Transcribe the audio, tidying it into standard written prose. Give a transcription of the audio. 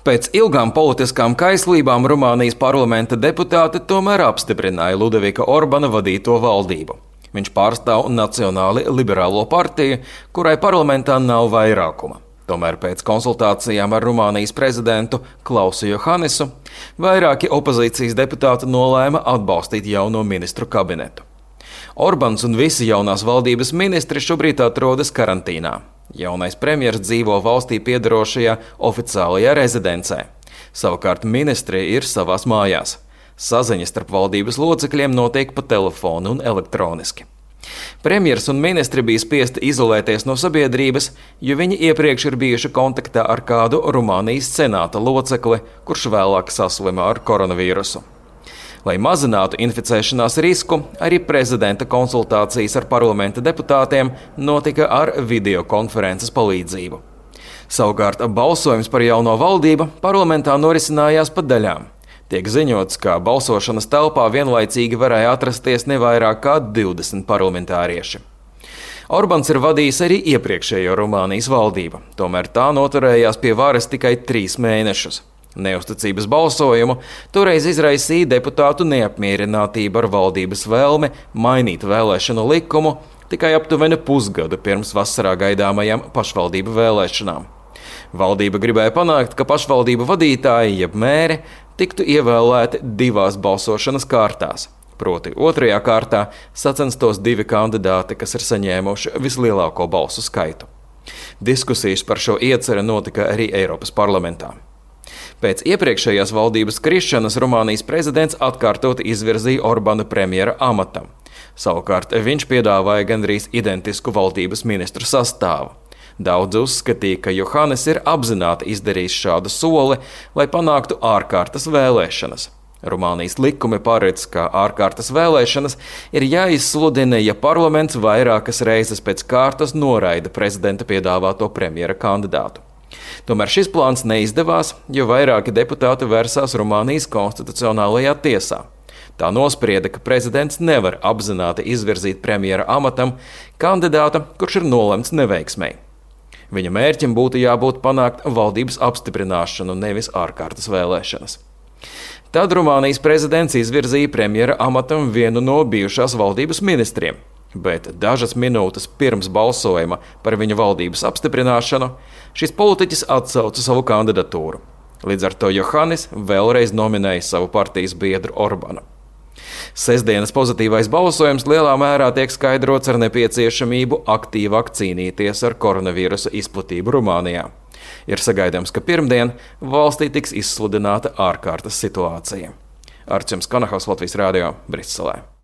Pēc ilgām politiskām kaislībām Rumānijas parlamenta deputāti tomēr apstiprināja Ludovika Orbana vadīto valdību. Viņš pārstāv Nacionāli liberālo partiju, kurai parlamentā nav vairākuma. Tomēr pēc konsultācijām ar Rumānijas prezidentu Klausu Johannesu vairāki opozīcijas deputāti nolēma atbalstīt jauno ministru kabinetu. Orbans un visi jaunās valdības ministri šobrīd atrodas karantīnā. Jaunais premjers dzīvo valstī piederošajā oficiālajā rezidencē. Savukārt ministri ir savās mājās. Saziņa starp valdības locekļiem notiek pa telefonu un elektroniski. Premjers un ministri bija spiesti izolēties no sabiedrības, jo viņi iepriekš ir bijuši kontaktā ar kādu Rumānijas senāta locekli, kurš vēlāk saslima ar koronavīrusu. Lai mazinātu inficēšanās risku, arī prezidenta konsultācijas ar parlamenta deputātiem notika ar videokonferences palīdzību. Savukārt balsojums par jauno valdību parlamentā norisinājās pa daļām. Tiek ziņots, ka balsošanas telpā vienlaicīgi varēja atrasties ne vairāk kā 20 parlamentārieši. Orbans ir vadījis arī iepriekšējo Rumānijas valdību, tomēr tā noturējās pie varas tikai 3 mēnešus. Neusticības balsojumu toreiz izraisīja deputātu neapmierinātība ar valdības vēlmi mainīt vēlēšanu likumu tikai aptuveni pusgadu pirms vasarā gaidāmajām pašvaldību vēlēšanām. Valdība gribēja panākt, ka pašvaldību vadītāji, jeb mēri, tiktu ievēlēti 2 balsošanas kārtās. Proti, 2. kārtā sacenstos 2 kandidāti, kas ir saņēmuši vislielāko balsu skaitu. Diskusijas par šo ieceri notika arī Eiropas parlamentā. Pēc iepriekšējās valdības krišanas Rumānijas prezidents atkārtot izvirzīja Orbanu premjera amatam. Savukārt viņš piedāvāja gandrīz identisku valdības ministru sastāvu. Daudz uzskatīja, ka Johannes ir apzināti izdarījis šādu soli, lai panāktu ārkārtas vēlēšanas. Rumānijas likumi paredz, ka ārkārtas vēlēšanas ir jāizsludina, ja parlaments vairākas reizes pēc kārtas noraida prezidenta piedāvāto premjera kandidātu. Tomēr šis plāns neizdevās, jo vairāki deputāti vērsās Rumānijas konstitucionālajā tiesā. Tā nosprieda, ka prezidents nevar apzināti izvirzīt premjera amatam kandidātu, kurš ir nolemts neveiksmei. Viņa mērķim būtu jābūt panākt valdības apstiprināšanu, nevis ārkārtas vēlēšanas. Tad Rumānijas prezidents izvirzīja premjera amatam vienu no bijušās valdības ministriem. Bet dažas minūtes pirms balsojuma par viņa valdības apstiprināšanu šis politiķis atsauca savu kandidatūru. Līdz ar to Johannes vēlreiz nominēja savu partijas biedru Orbanu. Sestdienas pozitīvais balsojums lielā mērā tiek skaidrots ar nepieciešamību aktīvāk cīnīties ar koronavīrusa izplatību Rumānijā. Ir sagaidāms, ka pirmdien valstī tiks izsludināta ārkārtas situācija. Arčuns Kanahaus, Latvijas Rādio, Briselē.